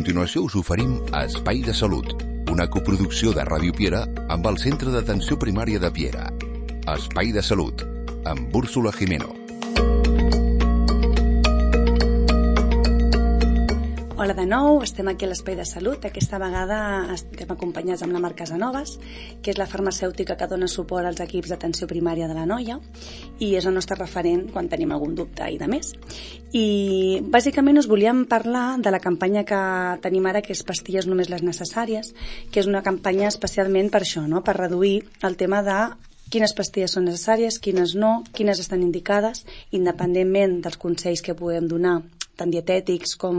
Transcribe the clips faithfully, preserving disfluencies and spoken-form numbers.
continuació us oferim Espai de Salut, una coproducció de Ràdio Piera amb el Centre d'Atenció Primària de Piera. Espai de Salut, amb Úrsula Jimeno. Hola de nou, estem aquí a l'Espai de Salut. Aquesta vegada estem acompanyats amb la Mar Casanovas, que és la farmacèutica que dona suport als equips d'atenció primària de la noia i és el nostre referent quan tenim algun dubte i de més. I bàsicament us volíem parlar de la campanya que tenim ara, que és Pastilles només les necessàries, que és una campanya especialment per això, no? Per reduir el tema de quines pastilles són necessàries, quines no, quines estan indicades, independentment dels consells que podem donar, tant dietètics com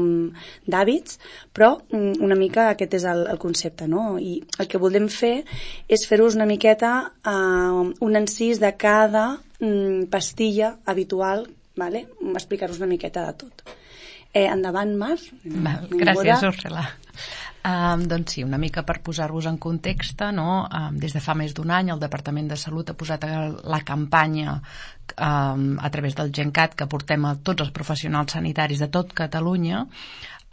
d'hàbits, però una mica aquest és el, el concepte, no? I el que volem fer és fer-vos una miqueta uh, un encís de cada um, pastilla habitual, vale? Explicar-vos una miqueta de tot. Eh, endavant, Mar. Val, gràcies, Úrsula. Um, doncs sí, una mica per posar-vos en context, no? Um, des de fa més d'un any el Departament de Salut ha posat la campanya um, a través del GenCat que portem a tots els professionals sanitaris de tot Catalunya,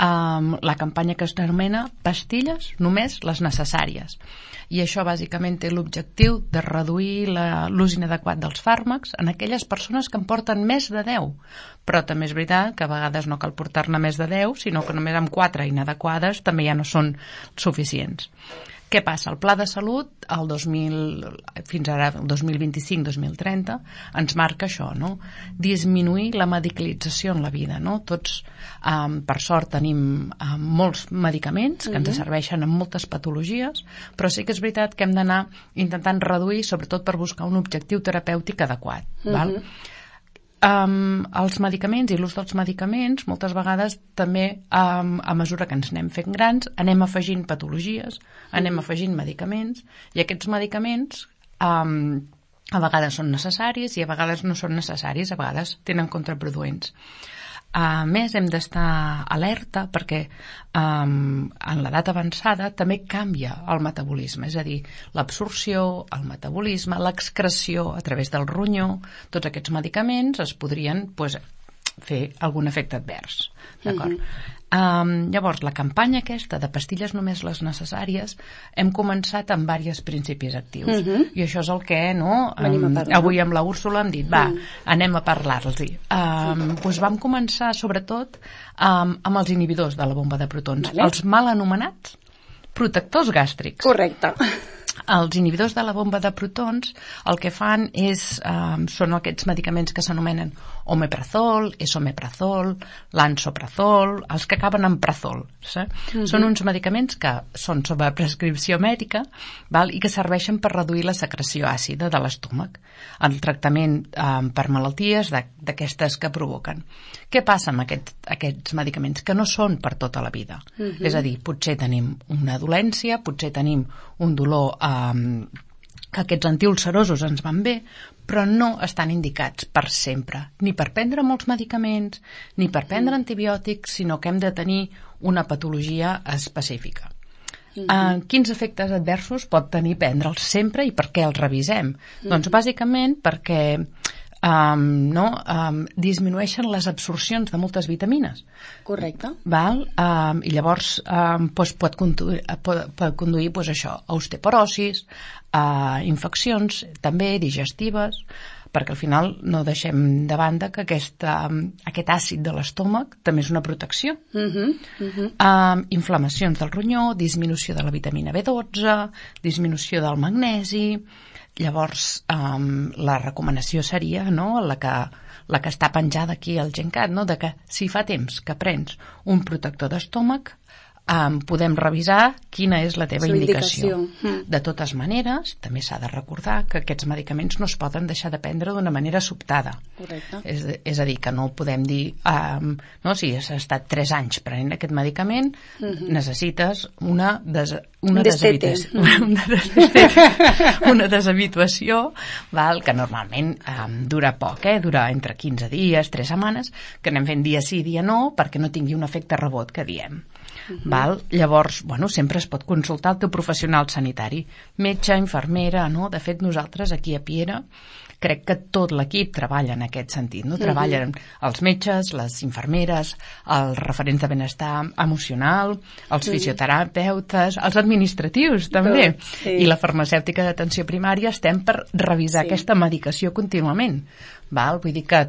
um, la campanya que es denomina Pastilles només les necessàries. I això bàsicament té l'objectiu de reduir l'ús inadequat dels fàrmacs en aquelles persones que en porten més de deu. Però també és veritat que a vegades no cal portar-ne més de deu, sinó que només amb quatre inadequades també ja no són suficients. Què passa? El Pla de Salut, el dos mil, fins ara, el dos mil vint-i-cinc dos mil trenta, ens marca això, no? Disminuir la medicalització en la vida, no? Tots, um, per sort, tenim um, molts medicaments que ens serveixen en moltes patologies, però sí que és veritat que hem d'anar intentant reduir, sobretot per buscar un objectiu terapèutic adequat, uh-huh. val? Um, els medicaments i l'ús dels medicaments moltes vegades també um, a mesura que ens anem fent grans anem afegint patologies, anem afegint medicaments i aquests medicaments um, a vegades són necessaris i a vegades no són necessaris, a vegades tenen contraproduents. A més, hem d'estar alerta perquè um, en l'edat avançada també canvia el metabolisme, és a dir, l'absorció, el metabolisme, l'excreció a través del ronyó, tots aquests medicaments es podrien pues, fer algun efecte advers. D'acord? Mm-hmm. Um, llavors, la campanya aquesta de Pastilles només les necessàries hem començat amb diversos principis actius. Mm-hmm. I això és el que no, um, avui amb la Úrsula hem dit, va, mm. anem a parlar-los-hi. Um, doncs vam començar sobretot um, amb els inhibidors de la bomba de protons, vale. Els mal anomenats protectors gàstrics. Correcte. Els inhibidors de la bomba de protons el que fan és, um, són aquests medicaments que s'anomenen omeprazol, esomeprazol, lansoprazol, els que acaben en prazol. Sí? Uh-huh. Són uns medicaments que són sobre prescripció mèdica, val? I que serveixen per reduir la secreció àcida de l'estómac, el tractament um, per malalties d'aquestes que provoquen. Què passa amb aquests, aquests medicaments? Que no són per tota la vida. Uh-huh. És a dir, potser tenim una dolència, potser tenim un dolor um, que aquests antiulcerosos ens van bé, però no estan indicats per sempre, ni per prendre molts medicaments, ni per prendre antibiòtics, sinó que hem de tenir una patologia específica. Uh-huh. Uh, quins efectes adversos pot tenir prendre'ls sempre i per què els revisem? Uh-huh. Doncs bàsicament perquè Um, no, um, disminueixen les absorcions de moltes vitamines. Correcte. Val? Um, I llavors um, pues, pot conduir, pot, pot conduir pues, això, a osteoporosis, a infeccions també digestives, perquè al final no deixem de banda que aquesta, aquest àcid de l'estómac també és una protecció. Uh-huh, uh-huh. Um, inflamacions del ronyó, disminució de la vitamina B dotze, disminució del magnesi. Llavors, um, la recomanació seria, no?, la que, la que està penjada aquí al GenCat, no?, de que si fa temps que prens un protector d'estómac, um, podem revisar quina és la teva indicació. indicació. De totes maneres, també s'ha de recordar que aquests medicaments no es poden deixar de prendre d'una manera sobtada. Correcte. És, és a dir, que no podem dir, um, no, si has estat tres anys prenent aquest medicament, uh-huh. necessites una, des, una, deshabitació, una, deshabitació, una deshabituació, val, que normalment um, dura poc, eh? Dura entre quinze dies, tres setmanes, que anem fent dia sí, dia no, perquè no tingui un efecte rebot que diem. Uh-huh. Val? Llavors, bueno, sempre es pot consultar el teu professional sanitari, metge, infermera, no? De fet, nosaltres aquí a Piera crec que tot l'equip treballa en aquest sentit, no? Treballen uh-huh. els metges, les infermeres, els referents de benestar emocional, els uh-huh. fisioterapeutes, els administratius també, sí. I la farmacèutica d'atenció primària estem per revisar sí. aquesta medicació contínuament. Val? Vull dir que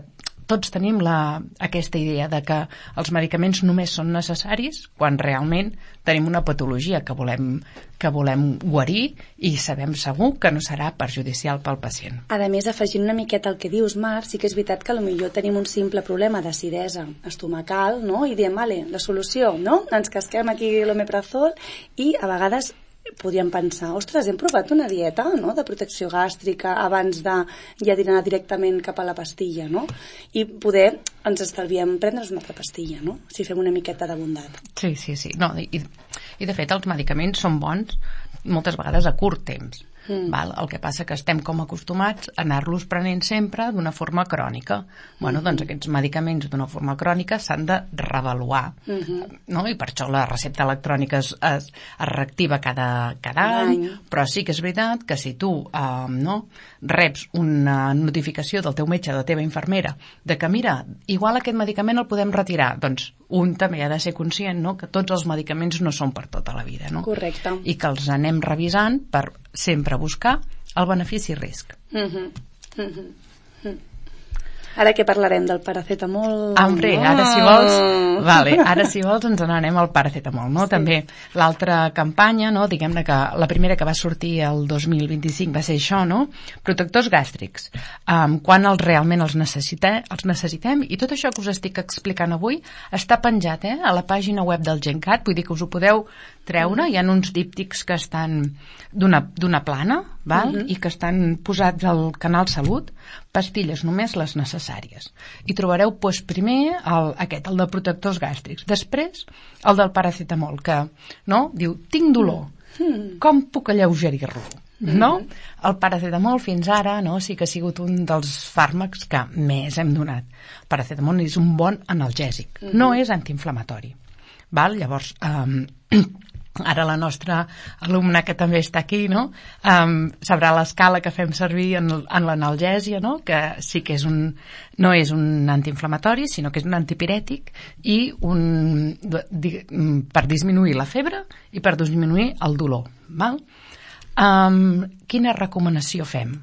tots tenim la, aquesta idea de que els medicaments només són necessaris quan realment tenim una patologia que volem, que volem guarir i sabem segur que no serà perjudicial pel pacient. A més, afegint una miqueta el que dius, Mar, sí que és veritat que potser tenim un simple problema d'acidesa estomacal, no? I diem, vale, la solució, no? Ens casquem aquí l'omeprazol i a vegades podríem pensar, ostres, hem provat una dieta, no?, de protecció gàstrica abans de ja anar directament cap a la pastilla, no? I poder ens estalviem prendre's una altra pastilla, no?, si fem una miqueta de bondat. Sí, sí, sí. No, i, i de fet els medicaments són bons moltes vegades a curt temps. Mm. Val? El que passa que estem com acostumats a anar-los prenent sempre d'una forma crònica. Bueno, mm-hmm. doncs aquests medicaments d'una forma crònica s'han de reavaluar, mm-hmm. no? I per això la recepta electrònica es, es, es reactiva cada, cada any, any, però sí que és veritat que si tu eh, no, reps una notificació del teu metge, de la teva infermera, de que mira, igual aquest medicament el podem retirar, doncs un també ha de ser conscient, no?, que tots els medicaments no són per tota la vida, no? Correcte. I que els anem revisant per sempre buscar el benefici-risc. Mm-hmm. Mm-hmm. Ara que parlarem del paracetamol... Hombre, oh. ara si vols... Vale, ara si vols ens n'anem al paracetamol, no? Sí. També l'altra campanya, no? Diguem-ne que la primera que va sortir el dos mil vint-i-cinc va ser això, no? Protectors gàstrics. Um, quan els realment els, necessite, els necessitem, i tot això que us estic explicant avui està penjat, eh? A la pàgina web del GenCat, vull dir que us ho podeu treure, hi ha uns díptics que estan d'una plana, val? Uh-huh. I que estan posats al canal Salut, pastilles només les necessàries. I trobareu doncs, primer el, aquest, el de protectors gàstrics, després el del paracetamol, que no? Diu, tinc dolor, uh-huh. com puc alleugerir-lo? Uh-huh. No? El paracetamol fins ara no, sí que ha sigut un dels fàrmacs que més hem donat. El paracetamol és un bon analgèsic, uh-huh. no és antiinflamatori. Val? Llavors, um, ara la nostra alumna que també està aquí, no? Um, sabrà l'escala que fem servir en, en l'analgèsia, no? Que sí que és un, no és un antiinflamatori, sinó que és un antipirètic i un, di, per disminuir la febre i per disminuir el dolor. Val? Um, quina recomanació fem?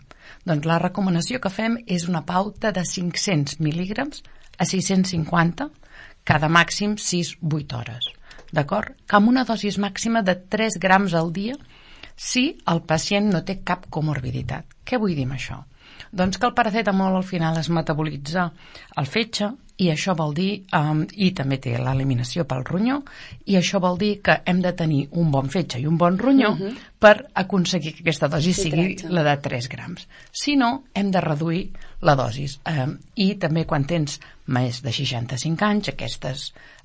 Doncs la recomanació que fem és una pauta de cinc-cents mil·lígrams a sis-cents cinquanta cada màxim sis a vuit hores. D'acord? Que amb una dosis màxima de tres grams al dia si el pacient no té cap comorbiditat. Què vull dir amb això? Doncs que el paracetamol al final es metabolitza al fetge i això vol dir, um, i també té l'eliminació pel ronyó, i això vol dir que hem de tenir un bon fetge i un bon ronyó uh-huh. per aconseguir que aquesta dosi sí, sigui tretze. La de tres grams. Si no, hem de reduir la dosis. Um, I també quan tens més de seixanta-cinc anys, aquestes,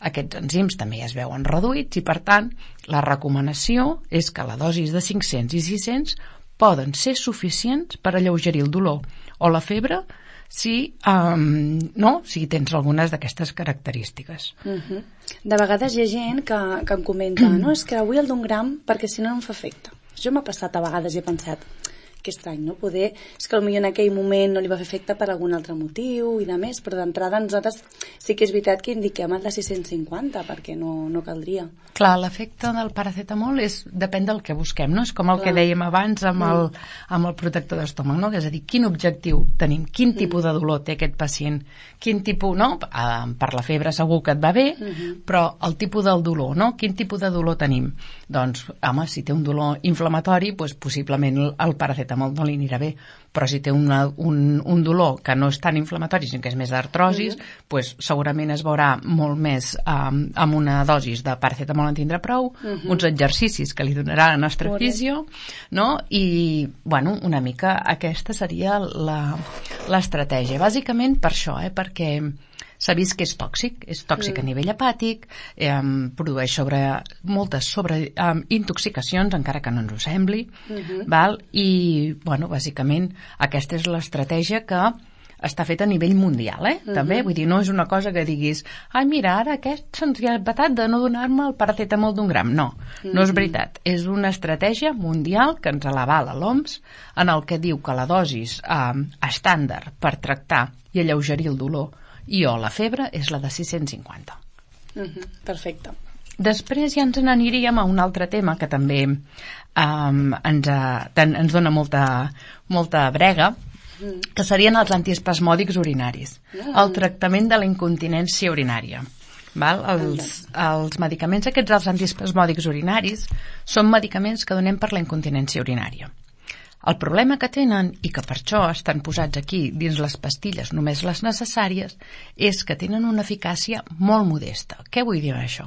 aquests enzims també es veuen reduïts i, per tant, la recomanació és que la dosis de cinc-cents i sis-cents poden ser suficients per alleugerir el dolor o la febre si, um, no, si tens algunes d'aquestes característiques. Uh-huh. De vegades hi ha gent que, que em comenta no, és que avui el d'un gram perquè si no no em fa efecte. Jo m'ha passat a vegades i he pensat que estrany, no? Poder, és que potser en aquell moment no li va fer efecte per algun altre motiu i de més, però d'entrada nosaltres sí que és veritat que indiquem el de sis-cents cinquanta perquè no, no caldria. Clar, l'efecte del paracetamol és, depèn del que busquem, no? És com el Clar. Que dèiem abans amb el, amb el protector d'estómac, no? És a dir, quin objectiu tenim, quin tipus de dolor té aquest pacient, quin tipus, no? Uh, per la febre segur que et va bé, uh-huh. però el tipus del dolor, no? Quin tipus de dolor tenim? Doncs, home, si té un dolor inflamatori, doncs possiblement el paracetamol no li anirà bé, però si té una, un, un dolor que no és tan inflamatori, sinó que és més d'artrosis, uh-huh. doncs segurament es veurà molt més um, amb una dosis de paracetamol en tindrà prou, uh-huh. uns exercicis que li donarà la nostra Correcte. Fisio, no? I, bueno, una mica aquesta seria la, l'estratègia. Bàsicament per això, eh? Perquè s'ha vist que és tòxic, és tòxic mm. a nivell hepàtic, eh, produeix sobre, moltes sobre eh, intoxicacions, encara que no ens ho sembli, mm-hmm. val? I, bueno, bàsicament, aquesta és l'estratègia que està fet a nivell mundial, eh? Uh-huh. També, vull dir, no és una cosa que diguis ai, mira, ara aquest se'ns ha batat de no donar-me el paracetamol d'un gram. No, uh-huh. no és veritat. És una estratègia mundial que ens l'avala l'O M S, en el que diu que la dosis eh, estàndard per tractar i alleugerir el dolor i o la febre és la de sis-cents cinquanta. Uh-huh. Perfecte. Després ja ens n'aniríem a un altre tema que també um, ens, uh, ens dona molta, molta brega, mm. que serien els antiespasmòdics urinaris, mm. el tractament de la incontinència urinària. Val? Els, els medicaments aquests, els antiespasmòdics urinaris, són medicaments que donem per la incontinència urinària. El problema que tenen, i que per això estan posats aquí dins les pastilles només les necessàries, és que tenen una eficàcia molt modesta. Què vull dir amb això?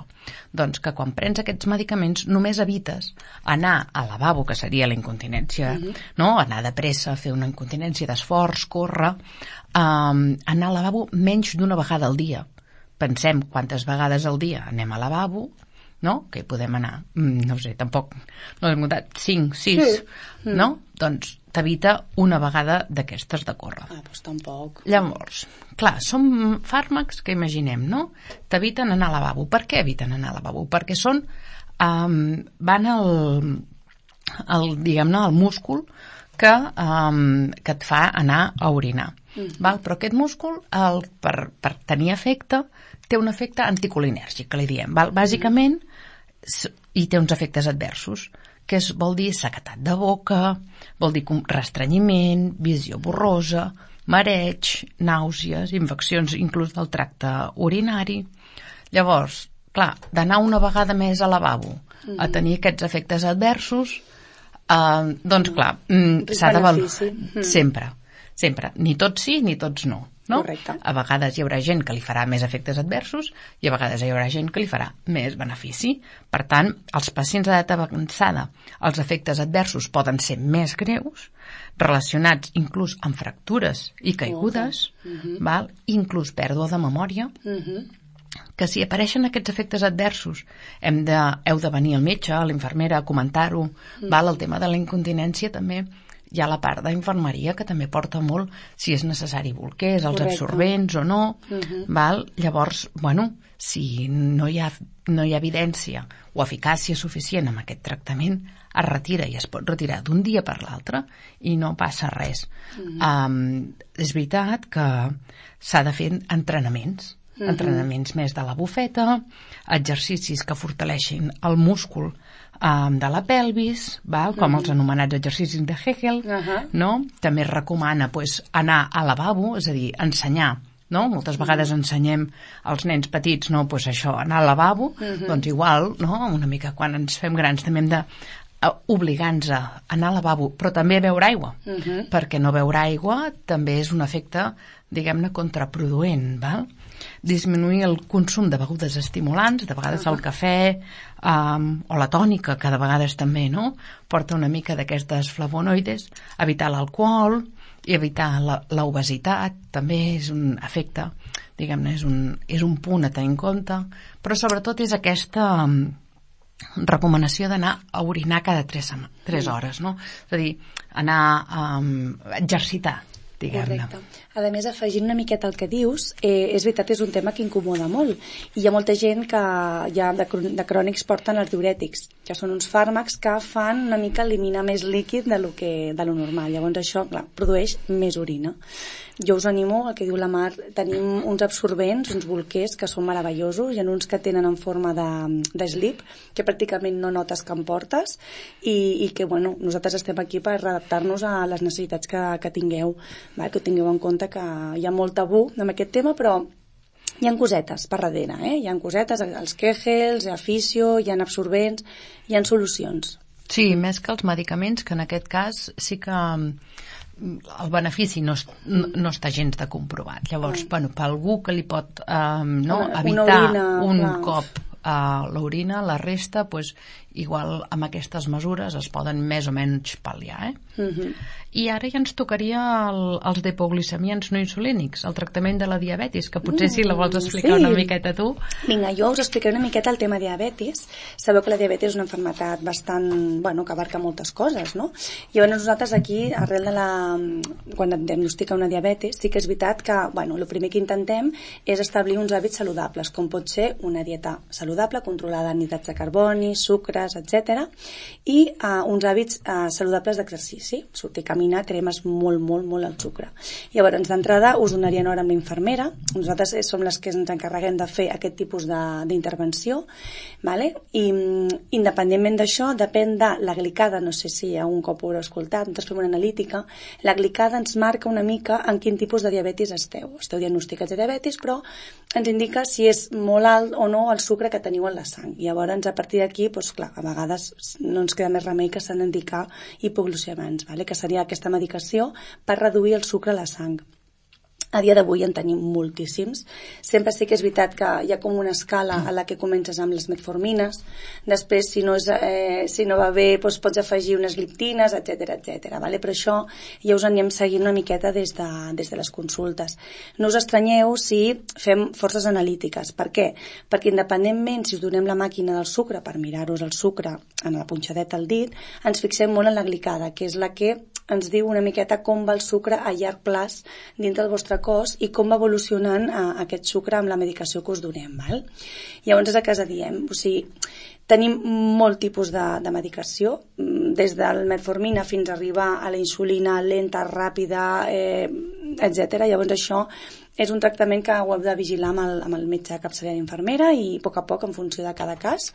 Doncs que quan prens aquests medicaments només evites anar al lavabo, que seria la incontinència, uh-huh. no? Anar de pressa, fer una incontinència d'esforç, córrer, um, anar al lavabo menys d'una vegada al dia. Pensem quantes vegades al dia anem al lavabo, no? Que hi podem anar, no sé, tampoc no hem comptat, cinc, sis, sí. no? Doncs t'evita una vegada d'aquestes de córrer. Ah, doncs tampoc. Llavors, clar, són fàrmacs que imaginem, no? T'eviten anar al lavabo. Per què eviten anar al lavabo? Perquè són, um, van al, al diguem-ne, al múscul que, um, que et fa anar a orinar. Mm. Val? Però aquest múscul, el, per, per tenir efecte, té un efecte anticolinèrgic, que li diem. Val? Bàsicament, i té uns efectes adversos, que és, vol dir sequetat de boca, vol dir restrenyiment, visió borrosa, mareig, nàusees, infeccions inclús del tracte urinari. Llavors, clar, d'anar una vegada més al lavabo mm-hmm. a tenir aquests efectes adversos, eh, doncs clar, mm, s'ha de valorar mm-hmm. sempre, sempre. Ni tots sí, ni tots no. No? Correcte. A vegades hi haurà gent que li farà més efectes adversos i a vegades hi haurà gent que li farà més benefici. Per tant, els pacients d'edat avançada, els efectes adversos poden ser més greus, relacionats inclús amb fractures i caigudes, uh-huh. val? Inclús pèrdua de memòria, uh-huh. que si apareixen aquests efectes adversos hem de, heu de venir al metge, a l'infermera, a comentar-ho, uh-huh. val? El tema de la incontinència també. Hi ha la part d'infermeria que també porta molt si és necessari bolquers, els Correcte. Absorbents o no. Uh-huh. Val? Llavors, bueno, si no hi, ha, no hi ha evidència o eficàcia suficient amb aquest tractament, es retira i es pot retirar d'un dia per l'altre i no passa res. Uh-huh. Um, és veritat que s'ha de fer entrenaments, uh-huh. entrenaments més de la bufeta, exercicis que fortaleixin el múscul Um, de la pelvis, val? Com uh-huh. els anomenats exercicis de Hegel, uh-huh. no? També es recomana pues, anar al lavabo, és a dir, ensenyar, no? Moltes vegades ensenyem als nens petits, no? Pues això, anar al lavabo, uh-huh. doncs igual, no? Una mica quan ens fem grans també hem de uh, obligar-nos a anar al lavabo, però també a beure aigua, uh-huh. perquè no beure aigua també és un efecte, diguem-ne, contraproduent, val? Disminuir el consum de begudes estimulants, de vegades el cafè um, o la tònica, que de vegades també no? Porta una mica d'aquestes flavonoides, evitar l'alcohol i evitar l'obesitat, també és un efecte, diguem-ne, és, un, és un punt a tenir en compte, però sobretot és aquesta um, recomanació d'anar a orinar cada tres, tres hores, no? És a dir, anar a um, exercitar, diguem-ne. Correcte. A més, afegint una miqueta el que dius, eh, és veritat, és un tema que incomoda molt. I hi ha molta gent que ja de, de crònics porten els diurètics, que són uns fàrmacs que fan una mica eliminar més líquid de lo, que, de lo normal. Llavors això, clar, produeix més orina. Jo us animo, el que diu la Mar, tenim uns absorbents, uns bolquers que són meravellosos, hi ha uns que tenen en forma de, de slip, que pràcticament no notes que em portes, i, i que, bueno, nosaltres estem aquí per adaptar-nos a les necessitats que, que tingueu, va? Que ho tingueu en compte, que hi ha molt tabú amb aquest tema, però hi ha cosetes per darrere, eh? Hi ha cosetes, els Kegels, hi ha fisio, hi ha absorbents, hi ha solucions. Sí, més que els medicaments, que en aquest cas sí que el benefici no, no, no està gens de comprovat. Llavors, bueno, per algú que li pot um, no, evitar orina, un clar. cop uh, l'orina, la resta, pues, igual amb aquestes mesures es poden més o menys pal·liar, eh? Uh-huh. I ara ja ens tocaria el, els dipoglicemiants no insulínics, el tractament de la diabetis, que potser si la vols explicar sí. una miqueta tu. Vinga, jo us explicaré una miqueta el tema diabetis. Sabeu que la diabetis és una malaltia bastant, bueno, que abarca moltes coses, no? I llavors nosaltres aquí, arrel de la... quan et diagnostica una diabetis, sí que és veritat que, bueno, el primer que intentem és establir uns hàbits saludables, com pot ser una dieta saludable, controlada en hidrats de carboni, sucres, etcètera, i uh, uns hàbits uh, saludables d'exercici, sortir a caminar, cremes molt, molt, molt al sucre. Llavors, d'entrada, us donarien hora amb la infermera. Nosaltres som les que ens encarreguem de fer aquest tipus d'intervenció, vale? I independentment d'això, depèn de la glicada, no sé si un cop ho haureu escoltat, nosaltres fem una analítica, la glicada ens marca una mica en quin tipus de diabetis esteu. Esteu diagnosticats de diabetis, però ens indica si és molt alt o no el sucre que teniu en la sang. I llavors, a partir d'aquí, doncs, clar, a vegades no ens queda més remei que s'han d'indicar hipoglucemants, vale? Que seria aquesta medicació per reduir el sucre a la sang. A dia d'avui en tenim moltíssims. Sempre sí que és veritat que hi ha com una escala a la que comences amb les metformines, després si no, és, eh, si no va bé doncs pots afegir unes gliptines, etcètera, etcètera. Vale? Però això ja us anem seguint una miqueta des de, des de les consultes. No us estranyeu si fem forces analítiques. Per què? Perquè independentment si us donem la màquina del sucre per mirar-vos el sucre en la punxadeta al dit, ens fixem molt en la glicada, que és la que ens diu una miqueta com va el sucre a llarg plaç dintre del vostre cos i com va evolucionant eh, aquest sucre amb la medicació que us donem. Val? Llavors és el que us diem. O sigui, tenim molt tipus de, de medicació, des del metformina fins a arribar a la insulina lenta, ràpida, eh, etcètera. Llavors això és un tractament que ho heu de vigilar amb el, amb el metge capçalera d'infermera i a poc a poc, en funció de cada cas,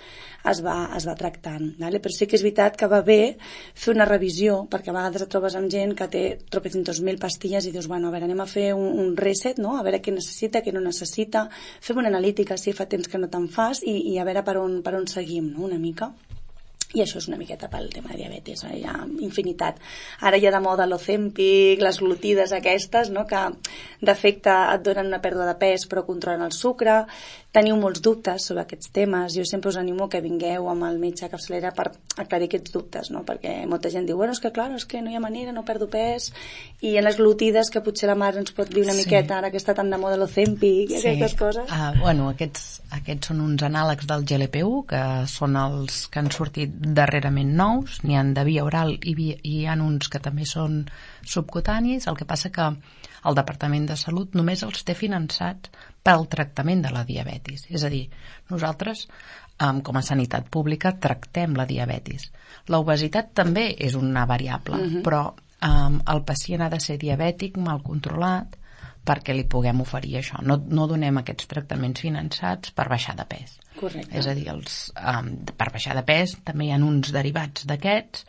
es va, es va tractant. Vale? Però sí que és veritat que va bé fer una revisió, perquè a vegades et trobes amb gent que té tropecientos mil pastilles i dius, bueno, a veure, anem a fer un, un reset, no? A veure què necessita, què no necessita, fem una analítica si fa temps que no te'n fas i, i a veure per on, per on seguim, no? Una mica. I això és una miqueta pel tema de diabetis, eh? Hi ha infinitat. Ara hi ha de moda l'Ozempic, les glutides aquestes, no? Que d'efecte et donen una pèrdua de pes però controlen el sucre. Teniu molts dubtes sobre aquests temes. Jo sempre us animo que vingueu amb el metge capçalera per aclarir aquests dubtes, no? Perquè molta gent diu, bueno, és que clar, és que no hi ha manera, no perdo pes, i en les glutides que potser la mare ens pot dir una sí. miqueta, ara que està tan de moda l'Ozempic i sí. aquestes coses. Uh, bueno, aquests, aquests són uns anàlegs del G L P u, que són els que han sortit darrerament nous, n'hi ha de via oral i, via, i hi ha uns que també són subcutanis. El que passa que el Departament de Salut només els té finançats pel tractament de la diabetis. És a dir, nosaltres, um, com a sanitat pública, tractem la diabetis. L'obesitat també és una variable, uh-huh. però um, el pacient ha de ser diabètic, mal controlat, perquè li puguem oferir això. No, no donem aquests tractaments finançats per baixar de pes. Correcte. És a dir, els, um, per baixar de pes també hi ha uns derivats d'aquests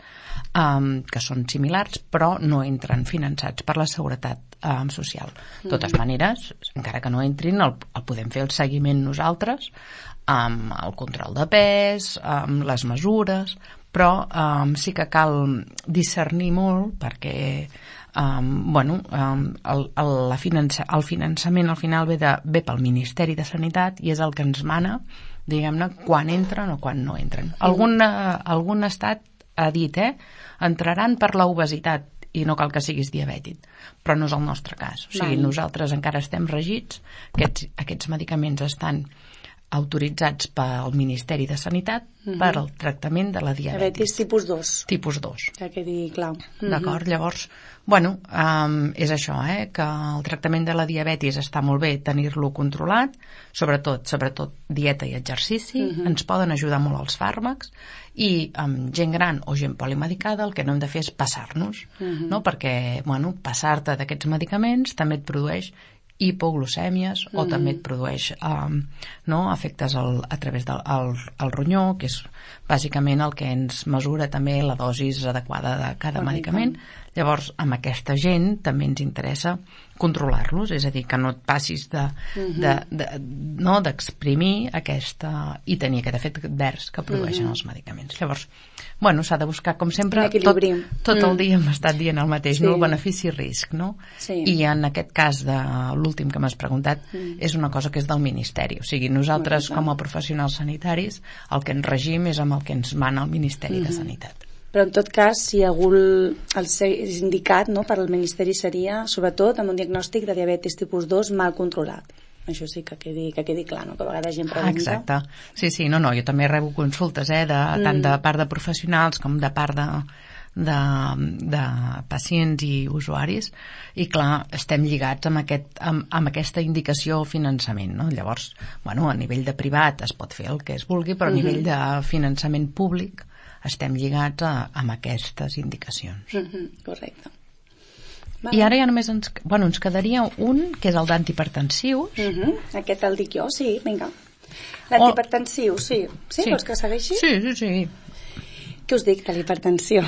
um, que són similars, però no entren finançats per la seguretat um, social. De totes mm. maneres, encara que no entrin, el, el podem fer el seguiment nosaltres, amb el control de pes, amb les mesures, però um, sí que cal discernir molt perquè Um, bueno, um, el, el, la finança, el finançament al final ve, de, ve pel Ministeri de Sanitat i és el que ens mana, diguem-ne, quan entren o quan no entren. Algun, uh, algun estat ha dit, eh, entraran per l'obesitat i no cal que siguis diabètic, però no és el nostre cas. O sigui, nosaltres encara estem regits, aquests, aquests medicaments estan autoritzats pel Ministeri de Sanitat uh-huh. per al tractament de la diabetis. Diabetis tipus dos. Tipus dos. Que quedi clar. Uh-huh. D'acord? Llavors, bueno, um, és això, eh, que el tractament de la diabetis està molt bé tenir-lo controlat, sobretot, sobretot dieta i exercici, uh-huh. ens poden ajudar molt els fàrmacs, i amb gent gran o gent polimedicada el que no hem de fer és passar-nos, uh-huh. no? Perquè, bueno, passar-te d'aquests medicaments també et produeix hipoglucèmies o mm. també et produeix um, no, efectes al, a través del al, al ronyó, que és bàsicament el que ens mesura també la dosis adequada de cada Correcte. medicament. Llavors, amb aquesta gent també ens interessa controlar-los, és a dir, que no et passis de, uh-huh. de, de, no, d'exprimir aquesta, i tenir aquest efecte advers que produeixen uh-huh. els medicaments. Llavors, bueno, s'ha de buscar, com sempre, tot, tot el dia hem estat dient el mateix, sí. no? El benefici-risc, no? Sí. I en aquest cas de l'últim que m'has preguntat, mm. és una cosa que és del Ministeri. O sigui, nosaltres, com a professionals sanitaris, el que ens regim és amb el que ens mana el Ministeri mm-hmm. de Sanitat. Però en tot cas, si algú el és indicat, no, per al Ministeri seria, sobretot, amb un diagnòstic de diabetis tipus dos mal controlat. Això sí que quedi, que quedi clar, no? Que a vegades gent pregunta. Exacte. Sí, sí, no, no, jo també rebo consultes, eh, de, mm. tant de part de professionals com de part de, de, de pacients i usuaris, i clar, estem lligats amb, aquest, amb, amb aquesta indicació o finançament, no? Llavors, bueno, a nivell de privat es pot fer el que es vulgui, però a nivell de finançament públic estem lligats a, amb aquestes indicacions. Mm-hmm, correcte. Vale. I ara ja només ens, bueno, ens quedaria un, que és el d'antihipertensius. Uh-huh. Aquest el dic jo, sí, vinga. L'antihipertensiu, oh. sí. sí. Sí, vols que segueixi? Sí, sí, sí. Què us dic de l'hipertensió?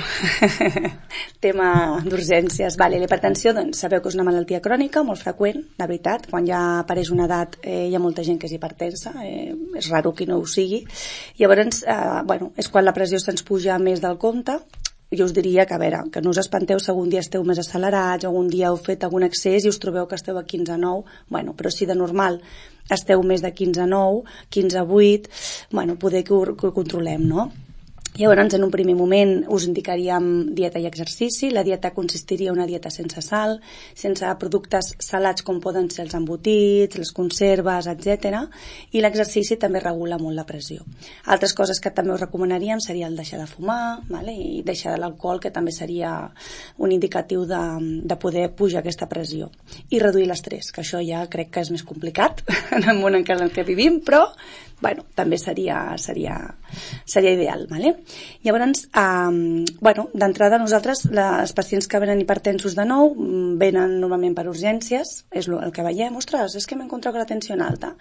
Tema d'urgències. Vale, l'hipertensió, doncs, sabeu que és una malaltia crònica molt freqüent, la veritat. Quan ja apareix una edat eh, hi ha molta gent que és hipertensa, eh, és raro que no ho sigui. Llavors, eh, bueno, és quan la pressió se'ns puja més del compte. Jo us diria que, a veure, que no us espanteu si algun dia esteu més accelerats, algun dia heu fet algun excés i us trobeu que esteu a quinze nou, bueno, però si de normal esteu més de quinze nou, quinze vuit, bueno, poder que ho, que ho controlem, no? Llavors, en un primer moment us indicaríem dieta i exercici. La dieta consistiria en una dieta sense sal, sense productes salats com poden ser els embotits, les conserves, etcètera. I l'exercici també regula molt la pressió. Altres coses que també us recomanaríem seria el deixar de fumar, vale? I deixar l'alcohol, que també seria un indicatiu de, de poder pujar aquesta pressió. I reduir l'estrès, que això ja crec que és més complicat en el món en què vivim, però bueno, també seria, seria, seria ideal, vale? Llavors, eh, bueno, d'entrada nosaltres, les pacients que venen hipertensos de nou, venen normalment per urgències, és el que veiem, ostres, és que m'he encontrat la tensió alta.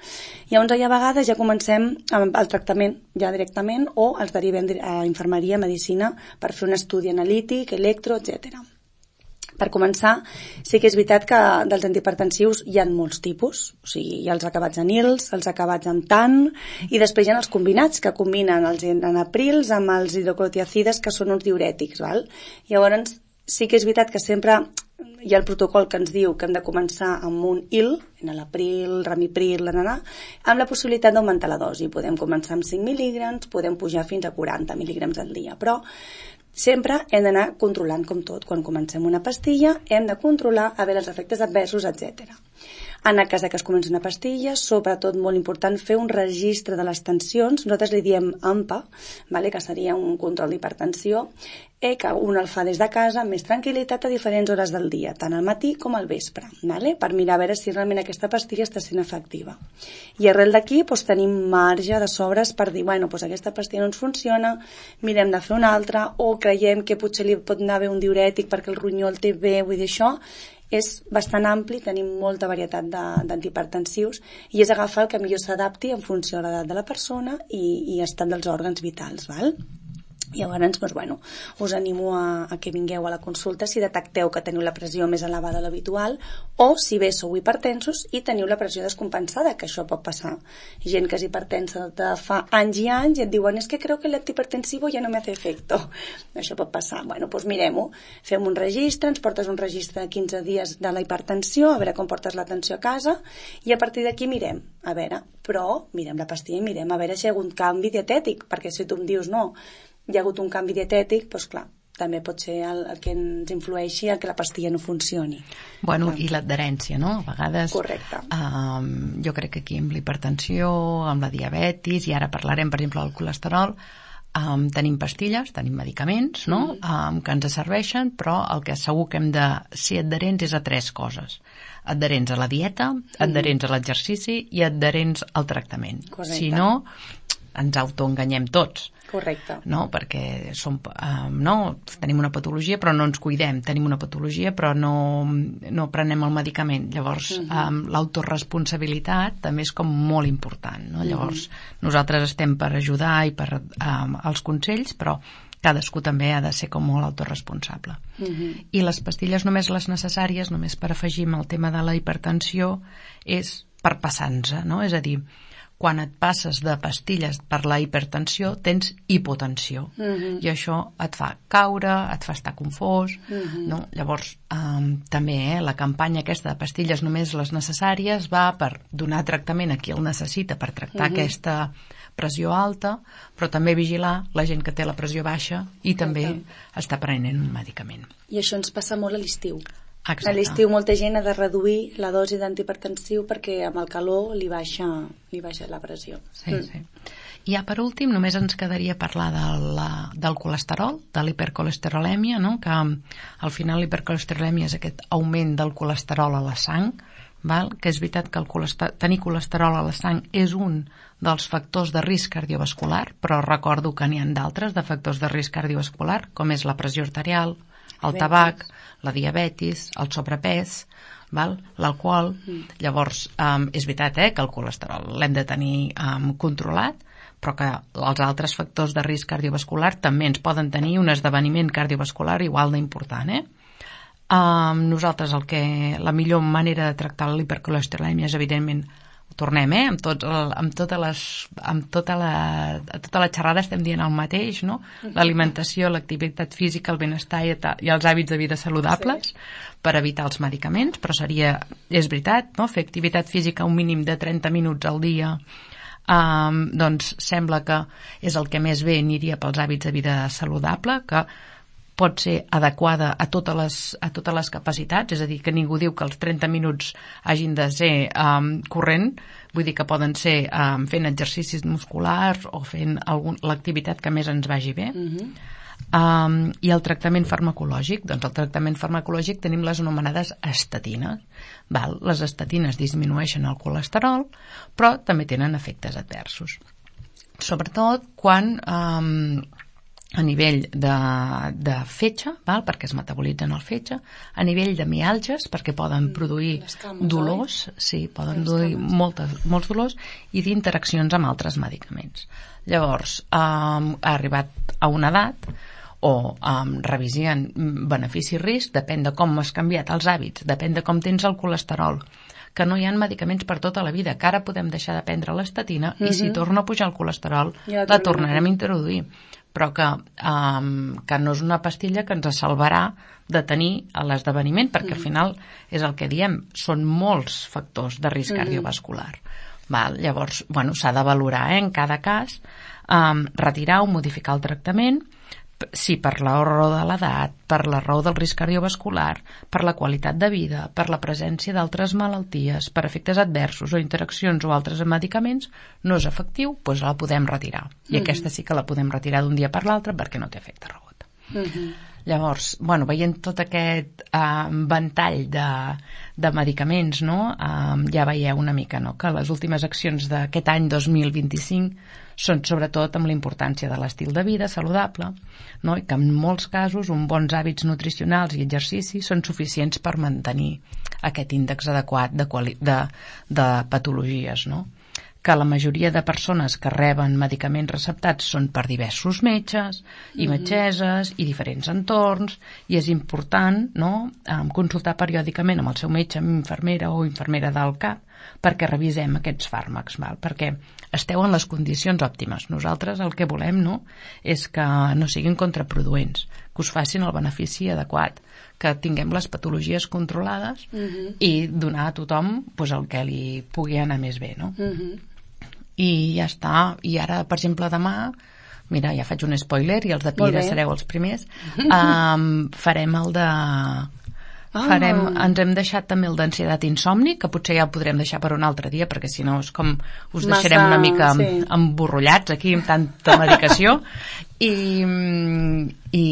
Llavors, a vegades ja comencem amb el tractament ja directament, o els derivem a infermeria, medicina, per fer un estudi analític, electro, etcètera. Per començar, sí que és veritat que dels antihipertensius hi ha molts tipus, o sigui, hi ha els acabats en ils, els acabats en tan, i després hi ha els combinats, que combinen els enaprils amb els hidroclorotiacides, que són uns diurètics, val? Llavors, sí que és veritat que sempre hi ha el protocol que ens diu que hem de començar amb un il, enalapril, ramipril, nananà, amb la possibilitat d'augmentar la dosi. Podem començar amb cinc mil·lígrams, podem pujar fins a quaranta mil·lígrams al dia, però sempre hem d'anar controlant com tot. Quan comencem una pastilla hem de controlar a veure els efectes adversos, etcètera. En el cas que es comenci una pastilla, sobretot molt important fer un registre de les tensions. Nosaltres li diem A M P A, vale? Que seria un control d'hipertensió, eh, que un el fa des de casa amb més tranquil·litat a diferents hores del dia, tant al matí com al vespre, vale? Per mirar a veure si realment aquesta pastilla està sent efectiva. I arrel d'aquí doncs, tenim marge de sobres per dir, bueno, doncs aquesta pastilla no ens funciona, mirem de fer una altra, o creiem que potser li pot anar bé un diurètic perquè el ronyó el té bé, vull dir, això és bastant ampli, tenim molta varietat d'antihipertensius i és agafar el que millor s'adapti en funció de l'edat de la persona i, i estat dels òrgans vitals, val? Llavors, doncs, bueno, us animo a, a que vingueu a la consulta si detecteu que teniu la pressió més elevada de l'habitual o si bé sou hipertensos i teniu la pressió descompensada, que això pot passar. Gent que és hipertensa de fa anys i anys i et diuen és que creo que l'antihipertensivo ja no me hace efecto. Això pot passar. Bueno, doncs mirem-ho. Fem un registre, ens portes un registre de quinze dies de la hipertensió, a veure com portes la tensió a casa i a partir d'aquí mirem, a veure, però mirem la pastilla i mirem a veure si hi ha hagut canvi dietètic, perquè si tu em dius no, hi ha hagut un canvi dietètic, doncs clar, també pot ser el, el que ens influeixi a que la pastilla no funcioni. Bueno, clar. I l'adherència, no? A vegades... Correcte. Um, jo crec que aquí amb l'hipertensió, amb la diabetis, i ara parlarem, per exemple, del colesterol, um, tenim pastilles, tenim medicaments, no? Mm. Um, que ens serveixen, però el que segur que hem de ser adherents és a tres coses. Adherents a la dieta, adherents mm. a l'exercici i adherents al tractament. Correcte. Si no, ens autoenganyem tots. Correcte. No? Perquè som, um, no? tenim una patologia però no ens cuidem, tenim una patologia però no, no prenem el medicament. Llavors, uh-huh. um, l'autoresponsabilitat també és com molt important. No? Llavors, uh-huh. nosaltres estem per ajudar i per um, els consells, però cadascú també ha de ser com molt autoresponsable. Uh-huh. I les pastilles només les necessàries, només per afegir el tema de la hipertensió, és per passar-nos, no? És a dir, quan et passes de pastilles per la hipertensió tens hipotensió, uh-huh. i això et fa caure, et fa estar confós, uh-huh. no? Llavors um, també eh, la campanya aquesta de pastilles només les necessàries va per donar tractament a qui el necessita per tractar uh-huh. aquesta pressió alta, però també vigilar la gent que té la pressió baixa i també Exacte. Està prenent un medicament. I això ens passa molt a l'estiu. Exacte. A l'estiu molta gent ha de reduir la dosi d'antihipertensiu perquè amb el calor li baixa, li baixa la pressió. Sí, mm. sí. I ja per últim només ens quedaria parlar de la, del colesterol, de l'hipercolesterolèmia, no? Que al final l'hipercolesterolèmia és aquest augment del colesterol a la sang, val? Que és veritat que el colesterol, tenir colesterol a la sang és un dels factors de risc cardiovascular, però recordo que n'hi ha d'altres de factors de risc cardiovascular, com és la pressió arterial, el tabac, la diabetis, el sobrepès, l'alcohol. Mm. Llavors, um, és veritat eh, que el colesterol l'hem de tenir um, controlat, però que els altres factors de risc cardiovascular també ens poden tenir un esdeveniment cardiovascular igual d'important. Eh? Um, nosaltres el que, la millor manera de tractar l'hipercolesterolèmia és, evidentment, tornem, eh? Amb, tots el, amb, totes les, amb tota, la, tota la xerrada estem dient el mateix, no? L'alimentació, l'activitat física, el benestar i, i els hàbits de vida saludables, sí. Per evitar els medicaments, però seria, és veritat, no? Fer activitat física un mínim de trenta minuts al dia, um, doncs sembla que és el que més bé aniria pels hàbits de vida saludable, que pot ser adequada a totes les, a totes les capacitats, és a dir, que ningú diu que els trenta minuts hagin de ser um, corrent, vull dir que poden ser um, fent exercicis musculars o fent algun, l'activitat que més ens vagi bé. Uh-huh. um, I el tractament farmacològic, doncs el tractament farmacològic tenim les anomenades estatines. Val? Les estatines disminueixen el colesterol, però també tenen efectes adversos. Sobretot quan... Um, a nivell de, de fetge, val? Perquè es metabolitzen el fetge, a nivell de miàlgies, perquè poden produir cames, dolors, oi? Sí, poden produir moltes, molts dolors, i d'interaccions amb altres medicaments. Llavors, um, ha arribat a una edat, o um, revisien benefici i risc, depèn de com has canviat els hàbits, depèn de com tens el colesterol, que no hi ha medicaments per tota la vida, que ara podem deixar de prendre l'estatina, uh-huh. i si torna a pujar el colesterol, ja la tornarem a introduir. Però que, um, que no és una pastilla que ens salvarà de tenir l'esdeveniment, perquè al final és el que diem, són molts factors de risc mm. cardiovascular. Val? Llavors, bueno, s'ha de valorar eh, en cada cas, um, retirar o modificar el tractament, si per la raó de l'edat, per la raó del risc cardiovascular, per la qualitat de vida, per la presència d'altres malalties, per efectes adversos o interaccions o altres medicaments, no és efectiu, doncs la podem retirar. I mm-hmm. aquesta sí que la podem retirar d'un dia per l'altre perquè no té efecte rebot. Mm-hmm. Llavors, bueno, veient tot aquest uh, ventall de, de medicaments, no? uh, ja veieu una mica no? Que les últimes accions d'aquest any dos mil vint-i-cinc són sobretot amb la importància de l'estil de vida saludable, no? I que en molts casos uns bons hàbits nutricionals i exercicis són suficients per mantenir aquest índex adequat de, quali- de, de patologies, no? Que la majoria de persones que reben medicaments receptats són per diversos metges i metgesses i diferents entorns, i és important no, consultar periòdicament amb el seu metge, amb infermera o infermera del cap, perquè revisem aquests fàrmacs, val? Perquè esteu en les condicions òptimes. Nosaltres el que volem no, és que no siguin contraproduents, que us facin el benefici adequat, que tinguem les patologies controlades uh-huh. i donar a tothom pues, el que li pugui anar més bé, no? Uh-huh. I ja està. I ara, per exemple, demà, mira, ja faig un spoiler i els de Pira sereu els primers, um, farem el de... Ah. Farem, ens hem deixat també el d'ansietat i insomni, que potser ja el podrem deixar per un altre dia, perquè si no és com us Massa, deixarem una mica sí. emborrollats aquí amb tanta medicació. I, i,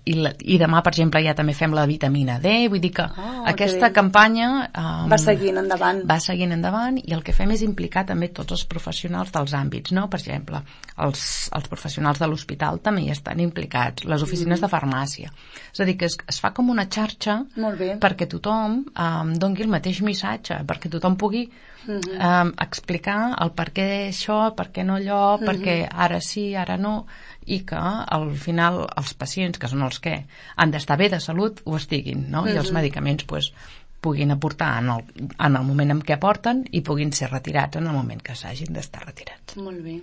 i, i demà, per exemple, ja també fem la vitamina D, vull dir que oh, aquesta okay. campanya um, va seguint endavant. Va seguint endavant, i el que fem és implicar també tots els professionals dels àmbits, no? Per exemple, els, els professionals de l'hospital també hi estan implicats, les oficines mm. de farmàcia. És a dir, que es, es fa com una xarxa perquè tothom um, doni el mateix missatge, perquè tothom pugui mm-hmm. um, explicar el per què això, per què no allò, mm-hmm. perquè ara sí, ara no, i que al final els pacients, que són els que han d'estar bé de salut, ho estiguin, no? I els medicaments pues, puguin aportar en el, en el moment en què aporten i puguin ser retirats en el moment que s'hagin d'estar retirats. Molt bé.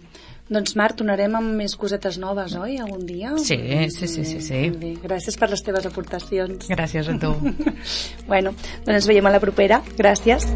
Doncs Mar, tornarem amb més cosetes noves, oi? Algun dia? Sí, sí, sí, sí, sí. Molt bé. Gràcies per les teves aportacions. Gràcies a tu. Bueno, doncs ens veiem a la propera. Gràcies.